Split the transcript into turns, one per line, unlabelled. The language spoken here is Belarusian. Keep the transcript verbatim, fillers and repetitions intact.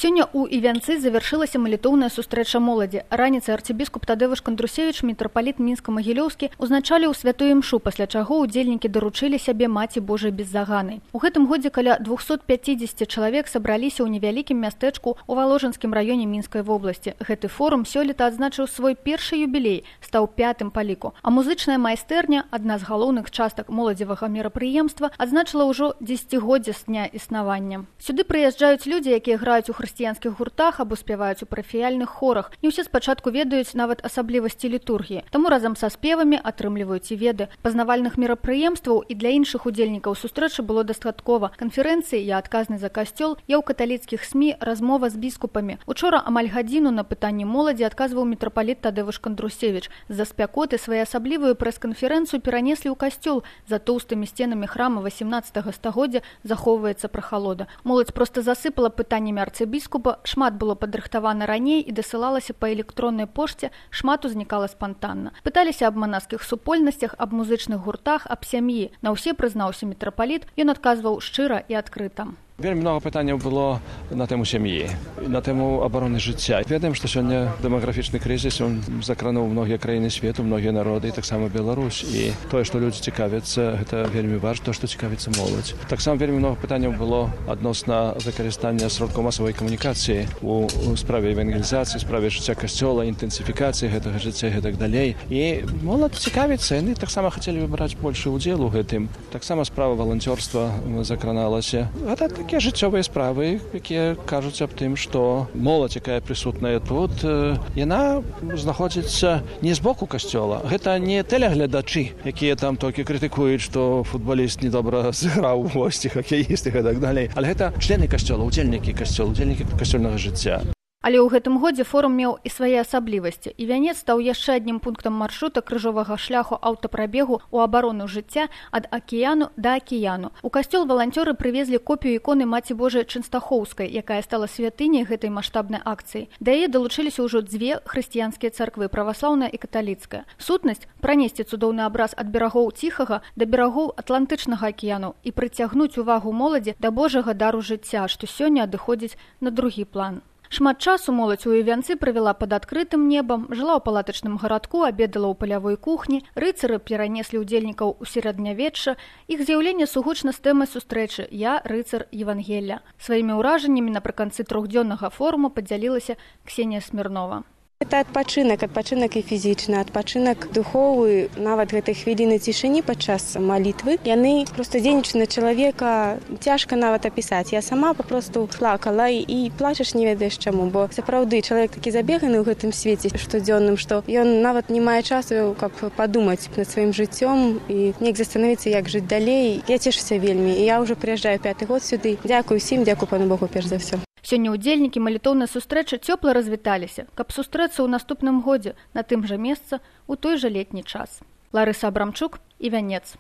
Сёння ў Івянцы завяршылася малітоўная сустрэча моладзі. Раніцай арцыбіскуп Тадеуш Кандрусевіч, мітрапаліт Мінска-Магілёўскі, узначаліў святую імшу, пасля чаго ўдзельнікі даручылі сябе Маці Божай беззаганай. У гэтым годзе каля двухсот пяцідзесяці чалавек сабраліся ў невялікім мястэчку ў Валожынскім раёне Мінскай вобласці. Гэты форум сёлета адзначыў свой першы юбілей, стаў пятым па ліку. А музычная майстэрня, адна з галоўных частак моладзевага мерапрыемства, адзначыла ўжо дзесяцігоддзе з дня існавання. Сюды прыязджаюць людзі, якія граюць у хрысціянскіх гуртах або спяваюць у парафіяльных хорах. Не ўсе спачатку ведаюць нават асаблівасці літургіі, таму разам са спевамі атрымліваюць і веды. Пазнавальных мерапрыемстваў і для іншых удзельнікаў сустрэчы было дастаткова. Канферэнцыі «Я адказны за касцёл», «Я ў каталіцкіх СМІ», размова з біскупамі. Учора амаль гадзіну на пытанні моладзі адказваў мітрапаліт Тадеуш Кандрусевіч. З-за спякоты своеасаблівую прэс-канферэнцыю перанеслі ў касцёл. За тоўстымі сценамі храма васемнаццатага стагоддзя захоўваецца прахалода. Моладзь проста засыпала пытаннямі арцыбіскупа. Біскупа, шмат было падрыхтавана раней і дасылалася па электроннай пошце, шмат узнікала спантанна. Пыталіся аб манаскіх супольнасцях, аб музычных гуртах, аб сям'і. На ўсе прызнаўся мітрапаліт, ён адказваў шчыра і адкрыта.
Вельмі много пытанняў было на тэму сям'і, на тэму абароны жыцця. Ведаем, што сёння дэмаграфічны крызіс, ён закрануў многія краіны свету, многія народы, і таксама Беларусь. І тое, што людзі цікавяцца, гэта вельмі важна, то, што цікавіцца моладзь. Таксама вельмі много пытанняў было адносна выкарыстання сродкаў масавай камунікацыі у справе евангелізацыі, справе жыцця касцёла, інтэнсіфікацыі гэтага жыцця і гэтак далей. І моладзь цікавіцца, яны таксама хацелі браць большы удзел у гэтым. Таксама справа валанцёрства закраналася. Гэта такія жыццёвыя справы, якія кажуць аб тым, што моладзь, якая прысутная тут, яна знаходзіцца не з боку касцёла. Гэта не тэлеглядачы, якія там толькі крытыкуюць, што футбаліст недобра зіграў у госці, хакеіст і гэтак далей. Але гэта члены касцёла, удзельнікі касцёла, удзельнікі касцёльнага жыцця.
Але ў гэтым годзе форум меў і свае асаблівасці. Івянец стаў яшчэ аднім пунктам маршрута крыжовага шляху аўтапрабегу ў абарону жыцця ад акіяну да акіяну. У касцёл валанцёры прывезлі копію іконы Маці Божай Чэнстахоўскай, якая стала святыняй гэтай маштабнай акцыі. Да яе далучыліся ўжо дзве хрысціянскія царквы, праваслаўная і каталіцкая. Сутнасць – пранесці цудоўны абраз ад берагоў Ціхага да берагоў Атлантычнага акіяну і прыцягнуць увагу моладзі да Божага дару жыцця, што сёння адыходзіць на другі план. Шмат часу моладзь у Івянцы правяла пад адкрытым небам, жыла ў палатачным гарадку, абедала ў палявой кухні, рыцары перанеслі ўдзельнікаў у сярэднявечча. Іх з'яўленне сугучна з тэмай сустрэчы «Я рыцар Евангелля». Сваімі ўражаннямі напрыканцы трохдзённага форуму падзялілася Ксенія Смірнова.
Это адпачынак, адпачынак і фізічны, адпачынак духовы, нават гэтай хвіліны цішыні падчас малітвы. Яны проста дзейнічаюць на чалавека, цяжка нават апісаць. Я сама папросту плакала і плачаш не ведаеш чаму, бо сапраўды чалавек такі забеганы ў гэтым свеце штодзённым, што ён нават не мае часу, каб падумаць над сваім жыццём і неяк застанавіцца, як жыць далей. Я цешуся вельмі, і я ўжо прыязджаю пяты год сюды. Дзякую ўсім, дзякую пану Богу перш за ўсё.
Сёння ўдзельнікі малітоўнай сустрэчы цёпла развіталіся, каб сустрэцца ў наступным годзе на тым жа месцы ў той жа летні час. Ларыса Абрамчук, Івянец.